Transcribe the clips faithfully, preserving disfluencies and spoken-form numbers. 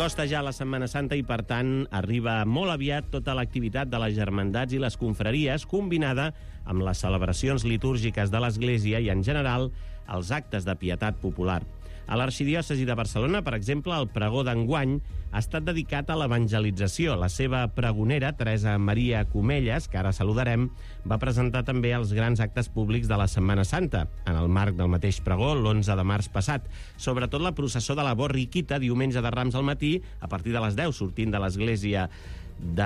S'acosta ja la Setmana Santa i, per tant, arriba molt aviat tota l'activitat de les germandats i les confraries, combinada amb les celebracions litúrgiques de l'Església i, en general, els actes de pietat popular. A l'Arxidiòcesi de Barcelona, per exemple, el pregó d'enguany ha estat dedicat a l'evangelització. La seva pregonera, Teresa Maria Comelles, que ara saludarem, va presentar també els grans actes públics de la Setmana Santa, en el marc del mateix pregó, l'onze de març passat. Sobretot la processó de la Borriquita, diumenge de Rams al matí, a partir de les deu, sortint de l'església de,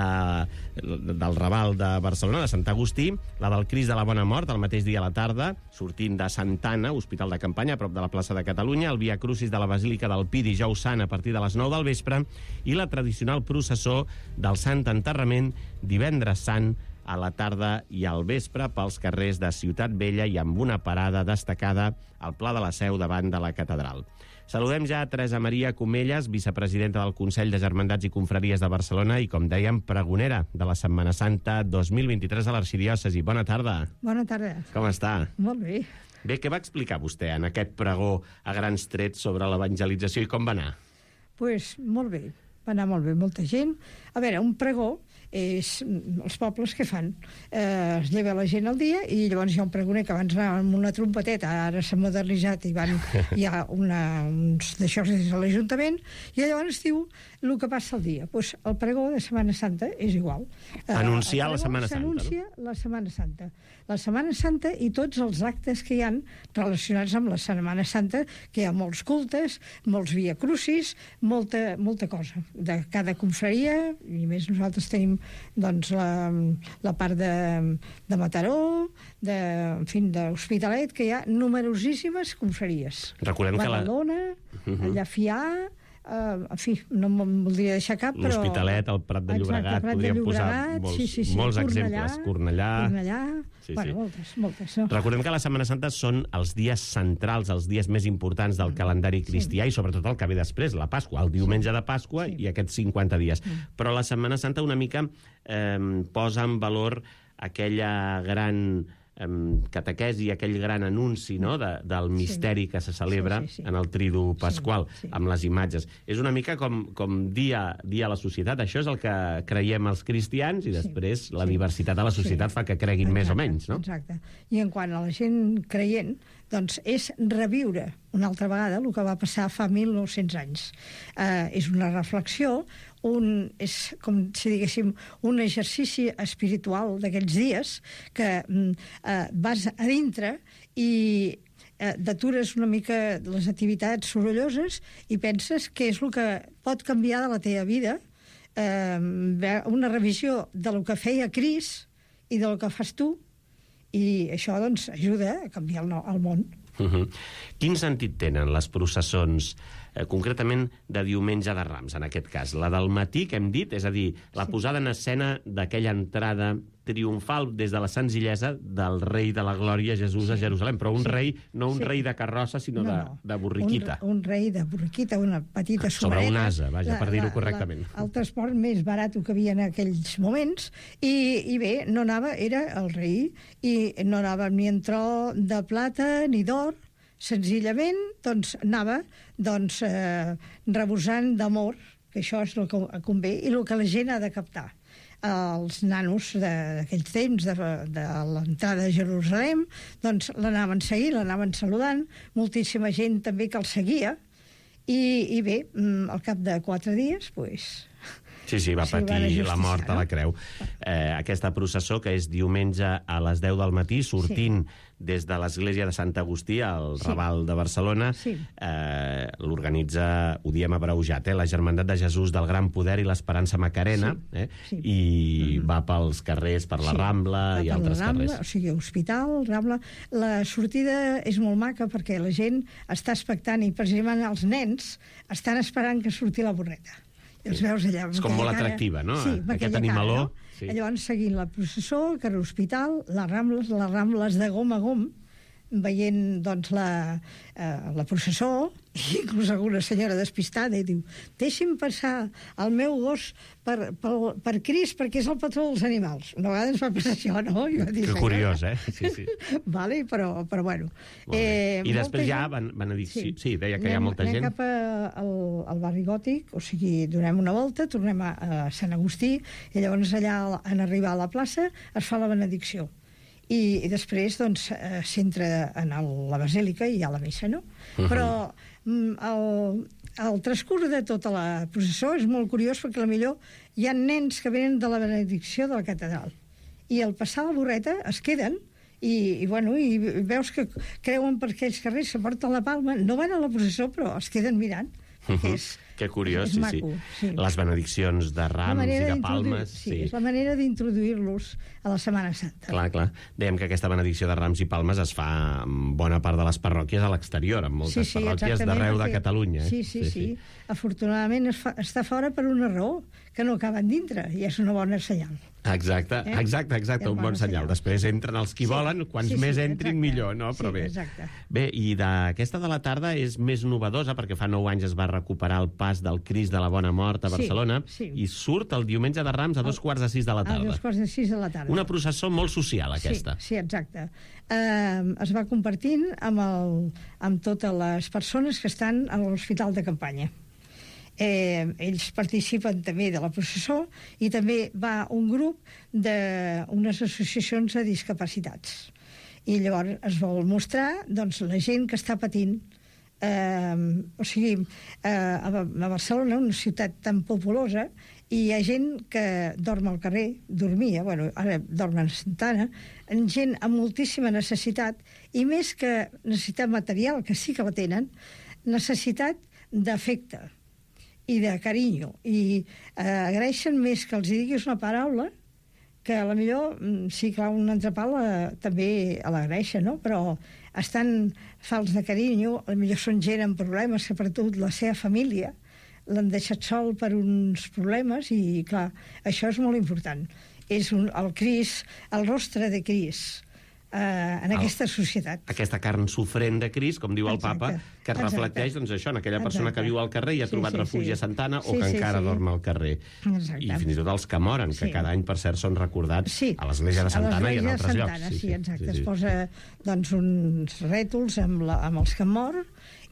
del Raval de Barcelona, de Sant Agustí, la del Crist de la Bona Mort, el mateix dia a la tarda, sortint de Santa Anna, Hospital de Campanya, a prop de la plaça de Catalunya, el Via Crucis de la Basílica del Pi, dijous Sant, a partir de les nou del vespre, i la tradicional processó del Sant Enterrament, divendres Sant, a la tarda i al vespre, pels carrers de Ciutat Vella i amb una parada destacada al Pla de la Seu davant de la catedral. Saludem ja a Teresa Maria Comelles, vicepresidenta del Consell de Germandats i Confraries de Barcelona i, com dèiem, pregonera de la Setmana Santa dos mil vint-i-tres a l'Arxidiòcesi. Bona tarda. Bona tarda. Com està? Molt bé. Bé, què va explicar vostè en aquest pregó a grans trets sobre l'evangelització i com va anar? Doncs pues, molt bé. Va anar molt bé, molta gent. A veure, un pregó és els pobles que fan. Eh, es lleva la gent al dia i llavors hi ha un pregoner que abans anava amb una trompeteta, ara s'ha modernitzat i van, hi ha una, uns d'això des de l'Ajuntament, i llavors diu el que passa al dia. Pues el pregó de Setmana Santa és igual. Eh, Anunciar la Setmana Santa. S'anuncia no? la Setmana Santa. La Setmana Santa i tots els actes que hi han relacionats amb la Setmana Santa, que hi ha molts cultes, molts via crucis, molta, molta cosa de cada confraria, i més nosaltres tenim doncs la, la part de, de Mataró, de, en fi, d'Hospitalet, que hi ha numerosíssimes confraries. Recordem que la... Badalona, uh-huh. Llafià, Uh, en fi, no me'n voldria deixar cap, però... L'Hospitalet, el Prat de Llobregat, exacte, podríem de Llobregat, posar molts, sí, sí, sí. molts Cornellà, exemples. Cornellà... Cornellà... Sí, bueno, sí. moltes, moltes. No? Recordem que la Setmana Santa són els dies centrals, els dies més importants del calendari cristià, sí. I sobretot el que ve després, la Pasqua, el diumenge de Pasqua, sí. I aquests cinquanta dies. Sí. Però la Setmana Santa una mica eh, posa en valor aquella gran... catequesi, aquell gran anunci, no?, de, del misteri, sí. Que se celebra, sí, sí, sí. En el Tridu Pasqual, sí, sí. Amb les imatges. És una mica com, com dia, dia a la societat. Això és el que creiem els cristians i després sí, la sí. diversitat de la societat sí. Fa que creguin exacte, més o menys, no? Exacte. I en quant a la gent creient, doncs és reviure una altra vegada el que va passar fa mil nou-cents anys. Eh, és una reflexió, un, és com si diguéssim un exercici espiritual d'aquells dies que eh, vas a dintre i eh, t'atures una mica les activitats sorolloses i penses què és el que pot canviar de la teva vida, eh, una revisió de lo que feia Crist i del que fas tu, i això doncs ajuda a canviar el, el món. Uh-huh. Quin sentit tenen les processons, eh, concretament de diumenge de Rams, en aquest cas? La del matí, que hem dit, és a dir, la sí. Posada en escena d'aquella entrada triomfal des de la senzillesa del rei de la glòria Jesús sí. A Jerusalem, però un sí. Rei, no un sí. Rei de carrossa, sinó no, no. De, de borriquita. Un, un rei de borriquita, una petita sobreta. Sobre un asa, vaja, la, per dir-ho correctament. La, el transport més barat que havia en aquells moments, i, i bé, no anava, era el rei, i no anava ni en tro de plata ni d'or, senzillament doncs anava doncs, eh, rebosant d'amor, que això és el que convé i el que la gent ha de captar. Els nanos d'aquells temps de, de l'entrada a Jerusalem doncs l'anaven seguint, l'anaven saludant, moltíssima gent també que el seguia, i, i bé, al cap de quatre dies pues, Sí, sí, va patir la mort a la creu. Eh, aquesta processó, que és diumenge a les deu del matí, sortint sí. Des de l'església de Sant Agustí, al sí. Raval de Barcelona, sí. eh, l'organitza, ho diem abreujat, eh, la Germandat de Jesús del Gran Poder i l'Esperança Macarena, sí. Eh, sí. I mm-hmm. va pels carrers, per la sí. Rambla va i altres Rambla, carrers. O sigui, Hospital, Rambla... La sortida és molt maca perquè la gent està expectant, i precisament els nens estan esperant que surti la borreta. I els veus allà. És com molt atractiva, no? Sí, aquest animaló. Cara, no? Sí. Llavors, seguint la processó, que era l'Hospital, les Rambles, les Rambles de gom a gom, veient doncs, la, eh, la processó, i inclús alguna senyora despistada i diu, deixi'm passar el meu gos per, per, per Crist perquè és el patró dels animals. Una vegada ens va passar això, no? I va dir, que curiós, eh? Sí, sí. Vale, però, però bueno. Eh, I després ja van, van a dir... Sí, sí, deia que anem, hi ha molta gent. Anem cap a, al, al barri gòtic, o sigui, donem una volta, tornem a, a Sant Agustí, i llavors allà, en arribar a la plaça, es fa la benedicció. I, i després doncs, eh, s'entra en el, la basílica i hi ha la missa, no? Uh -huh. Però mm, el, el transcurs de tota la processó és molt curiós perquè potser hi ha nens que venen de la benedicció de la catedral i al passar la borreta es queden i, i, bueno, i veus que creuen per aquells carrers, se porten la palma, no van a la processó però es queden mirant. Uh -huh. És, que curiós, és sí, maco, sí. sí. Les benediccions de rams i de palmes... Sí, sí, és la manera d'introduir-los a la Setmana Santa. Clar, clar. Dèiem que aquesta benedicció de rams i palmes es fa en bona part de les parròquies a l'exterior, en moltes sí, sí, parròquies d'arreu de Catalunya. Eh? Sí, sí, sí, sí. Afortunadament es fa, està fora per una raó, que no acaben dintre, i és una bona senyal. Exacte, eh? exacte, exacte, un bon senyal. senyal. Després entren els qui sí. volen, quants sí, sí, més entrin, exacte. millor, no? Però sí, bé. Exacte. Bé, i d'aquesta de la tarda és més novedosa, perquè fa nou anys es va recuperar el pas del Crist de la Bona Mort a Barcelona, sí, sí. i surt el diumenge de Rams a dos quarts de sis de la tarda. A dos quarts de sis de la tarda. Una processó molt social, aquesta. Sí, sí, exacte. Eh, es va compartint amb, el, amb totes les persones que estan a l'hospital de campanya. Eh, ells participen també de la processó i també va un grup d'unes associacions de discapacitats. I llavors es vol mostrar doncs, la gent que està patint. Eh, o sigui, eh, a Barcelona, una ciutat tan populosa, i hi ha gent que dorm al carrer, dormia, bueno, ara dorm a Santana, gent amb moltíssima necessitat, i més que necessitat material, que sí que la tenen, necessitat d'afecte i de carinyo, i eh, agraeixen més que els diguis una paraula, que a la millor, sí, clar, un entrepà la, també l'agraeixen, no? Però estan falts de carinyo, a la millor són gent amb problemes, sobretot la seva família, l'han deixat sol per uns problemes i, clar, això és molt important. És un, el Crist, el rostre de Crist, eh, en el, aquesta societat. Aquesta carn sofrent de Crist, com diu el exacte, Papa, que exacte. reflecteix doncs, això, en aquella persona exacte. que viu al carrer i ha sí, trobat sí, refugi sí. a Santana sí, o que sí, encara sí. dorm al carrer. Exacte. I fins i tot els que moren, que sí. cada any, per cert, són recordats sí. a l'església de Santana i en altres Santana, llocs. Sí, sí, exacte. Sí, sí. Es posa doncs, uns rètols amb, la, amb els que mor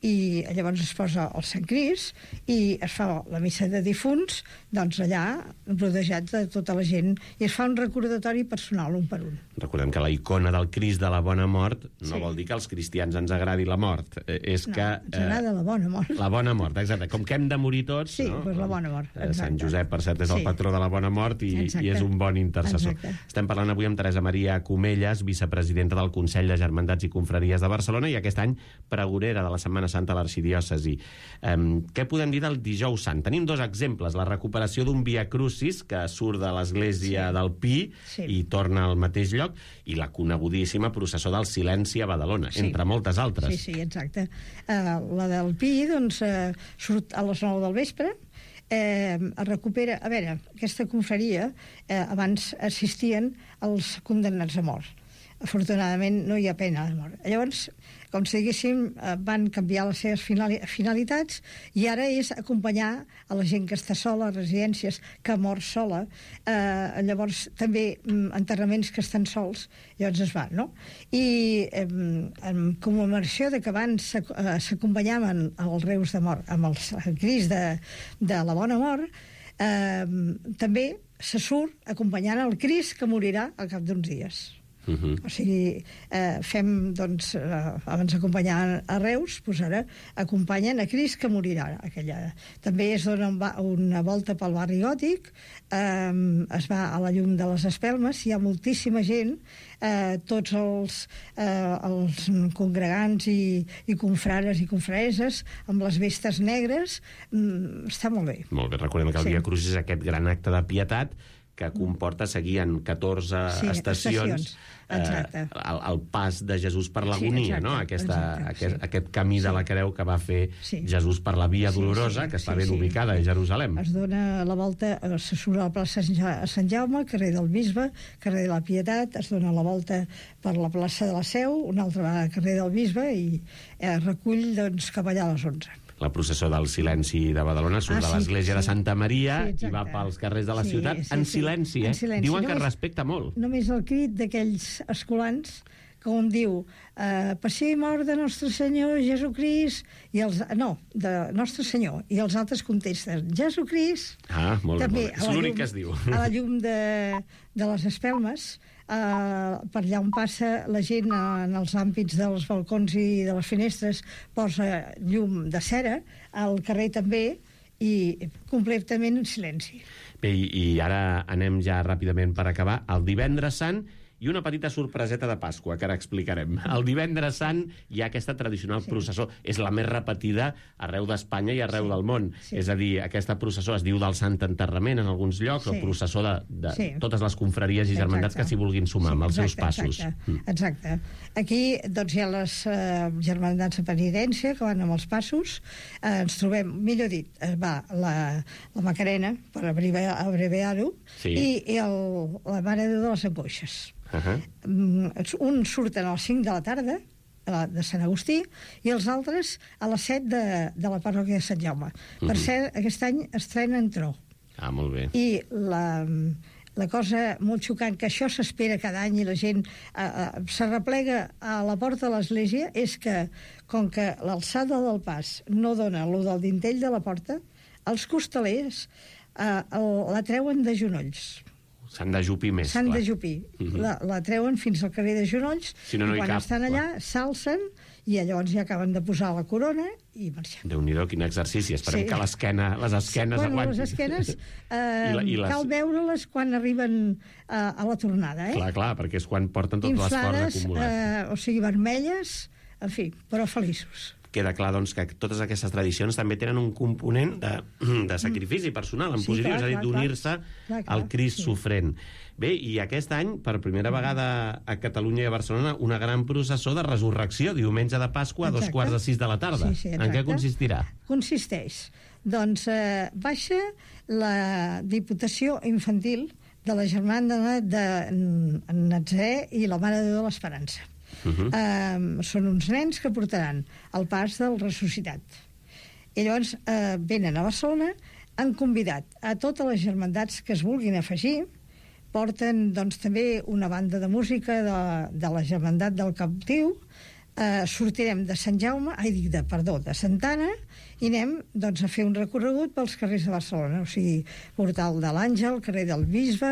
i llavors es posa el Sant Crist i es fa la missa de difunts doncs allà, rodejats de tota la gent, i es fa un recordatori personal un per un. Recordem que la icona del Crist de la Bona Mort no sí. vol dir que als cristians ens agradi la mort, eh, és no, que... ens agrada eh, la bona mort. La bona mort, exacte. Com que hem de morir tots... Sí, no? doncs la bona mort, exacte. Sant Josep, per cert, és el sí. patró de la bona mort i, i és un bon intercessor. Exacte. Estem parlant avui amb Teresa Maria Comelles, vicepresidenta del Consell de Germandats i Confraries de Barcelona i aquest any pregonera de la Setmana Santa a l'Arxidiòcesi. Um, què podem dir del Dijous Sant? Tenim dos exemples, la recuperació d'un Via Crucis que surt de l'església sí. del Pi sí. i torna al mateix lloc, i la conegudíssima processó del Silenci a Badalona, sí. entre moltes altres. Sí, sí, exacte. Uh, la del Pi, doncs, uh, surt a les nou del vespre, eh, es recupera... A veure, aquesta confraria, eh, abans assistien els condemnats a mort. Afortunadament no hi ha pena de mort. Llavors, com si diguéssim, van canviar les seves finalitats i ara és acompanyar a la gent que està sola, a residències, que mor sola, eh, llavors també enterraments que estan sols, llavors es va, no? I eh, en commemoració de que abans s'acompanyaven els reus de mort amb el Crist de, de la Bona Mort, eh, també se surt acompanyant el Crist que morirà al cap d'uns dies. Uh -huh. O sigui, eh, fem, doncs, eh, abans d'acompanyar a Reus, doncs ara acompanyen a Crist que morirà. Aquella. També es dona una volta pel barri gòtic, eh, es va a la llum de les espelmes, hi ha moltíssima gent, eh, tots els, eh, els congregants i, i confrares i confrareses amb les vestes negres, mm, està molt bé. Molt bé, recordem que el sí. Via Crucis és aquest gran acte de pietat que comporta seguir en catorze sí, estacions, estacions. Eh, el, el pas de Jesús per l'agonia, sí, no? Aquesta, exacte, aquest, sí. aquest camí de la creu que va fer sí. Jesús per la Via Dolorosa, sí, sí, que està sí, ben sí. ubicada a Jerusalem. Es dona la volta, se surt a la plaça Sant Jaume, carrer del Bisbe, carrer de la Pietat, es dona la volta per la plaça de la Seu, una altra vegada carrer del Bisbe, i eh, recull doncs, cap allà a les onze. La processó del silenci de Badalona surt ah, sí, de l'església sí. de Santa Maria sí, i va pels carrers de la sí, ciutat sí, en sí, silenci, eh? En silenci. Diuen només, que es respecta molt. Només el crit d'aquells escolans que un diu eh, passi i mort de Nostre Senyor Jesucrist, i els, no, de Nostre Senyor, i els altres contesten Jesucrist. Ah, molt bé, és l'únic que es diu. A la llum de, de les espelmes, Uh, per allà on passa la gent uh, en els àmpits dels balcons i de les finestres posa llum de cera, al carrer també, i completament en silenci. Bé, i, i ara anem ja ràpidament per acabar. El Divendres Sant i una petita sorpreseta de Pasqua, que ara explicarem. El Divendres Sant hi ha aquesta tradicional sí. processó. És la més repetida arreu d'Espanya i arreu sí. del món. Sí. És a dir, aquesta processó es diu del Sant Enterrament en alguns llocs, sí. o processó de, de sí. totes les confraries i germandats exacte. Que s'hi vulguin sumar sí, amb els exacte, seus passos. Exacte. Mm. exacte. Aquí doncs, hi ha les uh, germandats de penitència que van amb els passos. Uh, ens trobem, millor dit, uh, va la, la Macarena, per abreviar-ho, sí. i, i el, la Mare de Déu de les Angoixes. Uh-huh. Un surten a les cinc de la tarda de Sant Agustí i els altres a les set de, de la parròquia de Sant Jaume. Uh-huh. Per cert, aquest any estrenen tro. Ah, molt bé. I la, la cosa molt xocant, que això s'espera cada any i la gent eh, eh, s'arreplega a la porta de l'església, és que, com que l'alçada del pas no dona lo del dintell de la porta, els costalers eh, el, la treuen de genolls. S'han d'ajupir més, S'han d'ajupir. Uh-huh. La, la treuen fins al carrer de genolls, si no, no i quan cap, estan allà s'alcen i llavors ja acaben de posar la corona i marxen. Déu-n'hi-do, quin exercici. Esperem sí. que l'esquena, les esquenes bueno, aguantin. Les esquenes eh, I la, i les... cal veure-les quan arriben eh, a la tornada. Eh? Clar, clar, perquè és quan porten tot l'esforç acumulat. Eh, o sigui, vermelles, en fi, però feliços. Queda clar, doncs, que totes aquestes tradicions també tenen un component de, de sacrifici personal, en sí, positiu, clar, és a dir, d'unir-se al Crist sí. sofrent. Bé, i aquest any, per primera vegada a Catalunya i a Barcelona, una gran processó de resurrecció, diumenge de Pasqua, a dos quarts de sis de la tarda. Sí, sí, en què consistirà? Consisteix. Doncs eh, baixa la Diputació Infantil de la Germana de Natzarè i la Mare de Déu de l'Esperança. Uh-huh. Uh, són uns nens que portaran el pas del ressuscitat. I llavors uh, venen a Barcelona, han convidat a totes les germandats que es vulguin afegir, porten doncs, també una banda de música de, de la germandat del Captiu, uh, sortirem de Sant Jaume, ai, dic de, perdó, de Santa Anna, i anem doncs, a fer un recorregut pels carrers de Barcelona, o sigui, Portal de l'Àngel, carrer del Bisbe,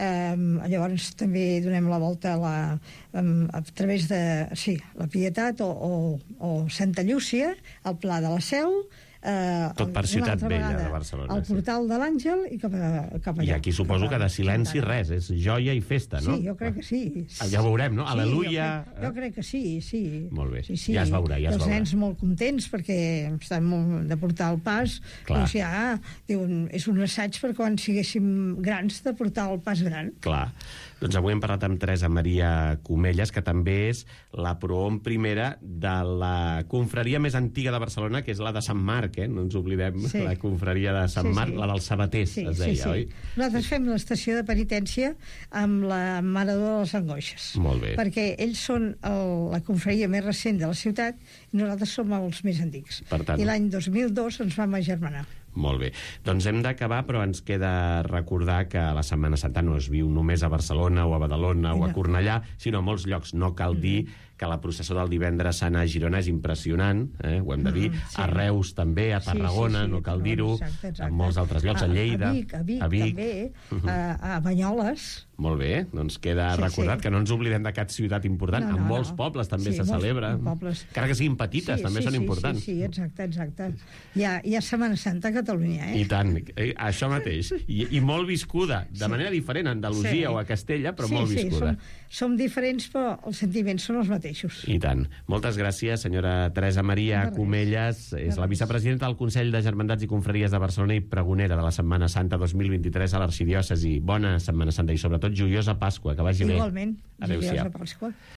eh, llavors també donem la volta a, la, a, a través de sí, la Pietat o, o, o Santa Llúcia, al Pla de la Seu, Eh, tot per Ciutat Vella de Barcelona. Al Portal sí. de l'Àngel i cap, a, cap allà. I aquí suposo que de silenci res, és joia i festa, no? Sí, jo crec que sí. Ja ho veurem, no? Sí, Aleluia. Jo crec, jo crec que sí, sí. Molt bé, sí, sí. ja es veurà, ja es veurà. Els nens molt contents perquè estan molt de portar el pas. Clar. Doncs ja, diuen, és un assaig per quan siguéssim grans de portar el pas gran. Clar. Doncs avui hem parlat amb Teresa Maria Comelles, que també és la prohom primera de la confraria més antiga de Barcelona, que és la de Sant Marc, eh? No ens oblidem, sí. La confraria de Sant sí, Marc, sí. La dels sabaters, sí, es deia, sí, sí. oi? Nosaltres fem l'estació de penitència amb la Mare de les Angoixes. Molt bé. Perquè ells són el, la confraria més recent de la ciutat i nosaltres som els més antics. Per tant... I l'any dos mil dos ens vam agermanar. Molt bé. Doncs hem d'acabar, però ens queda recordar que la Setmana Santa no es viu només a Barcelona o a Badalona o a Cornellà, sinó a molts llocs. No cal dir que la processó del Divendres Sant a Girona és impressionant, eh? Ho hem de dir, mm, sí. A Reus també, a Tarragona, sí, sí, sí, no cal dir-ho, en molts altres llocs, a, a Lleida, a Vic, a Vic, a Vic també, uh -huh. a, a Banyoles. Molt bé, doncs queda sí, recordat sí. que no ens oblidem de cap ciutat important. No, no, en molts no. pobles també sí, se celebra. Pobles. Encara que siguin petites, sí, també sí, són sí, importants. Sí, sí, exacte, exacte. Hi ha, hi ha Setmana Santa a Catalunya, eh? I tant, eh, això mateix. I, I molt viscuda, de sí. manera diferent a Andalusia sí. o a Castella, però sí, molt viscuda. Sí, som, som diferents, però els sentiments són els mateixos. mateixos. I tant. Moltes gràcies, senyora Teresa Maria Comelles. És la vicepresidenta del Consell de Germandats i Confraries de Barcelona i pregonera de la Setmana Santa dos mil vint-i-tres a l'Arxidiòcesi. Bona Setmana Santa i sobretot joiosa Pasqua, que vagi bé. Igualment, Adéu-siau. joiosa Pasqua.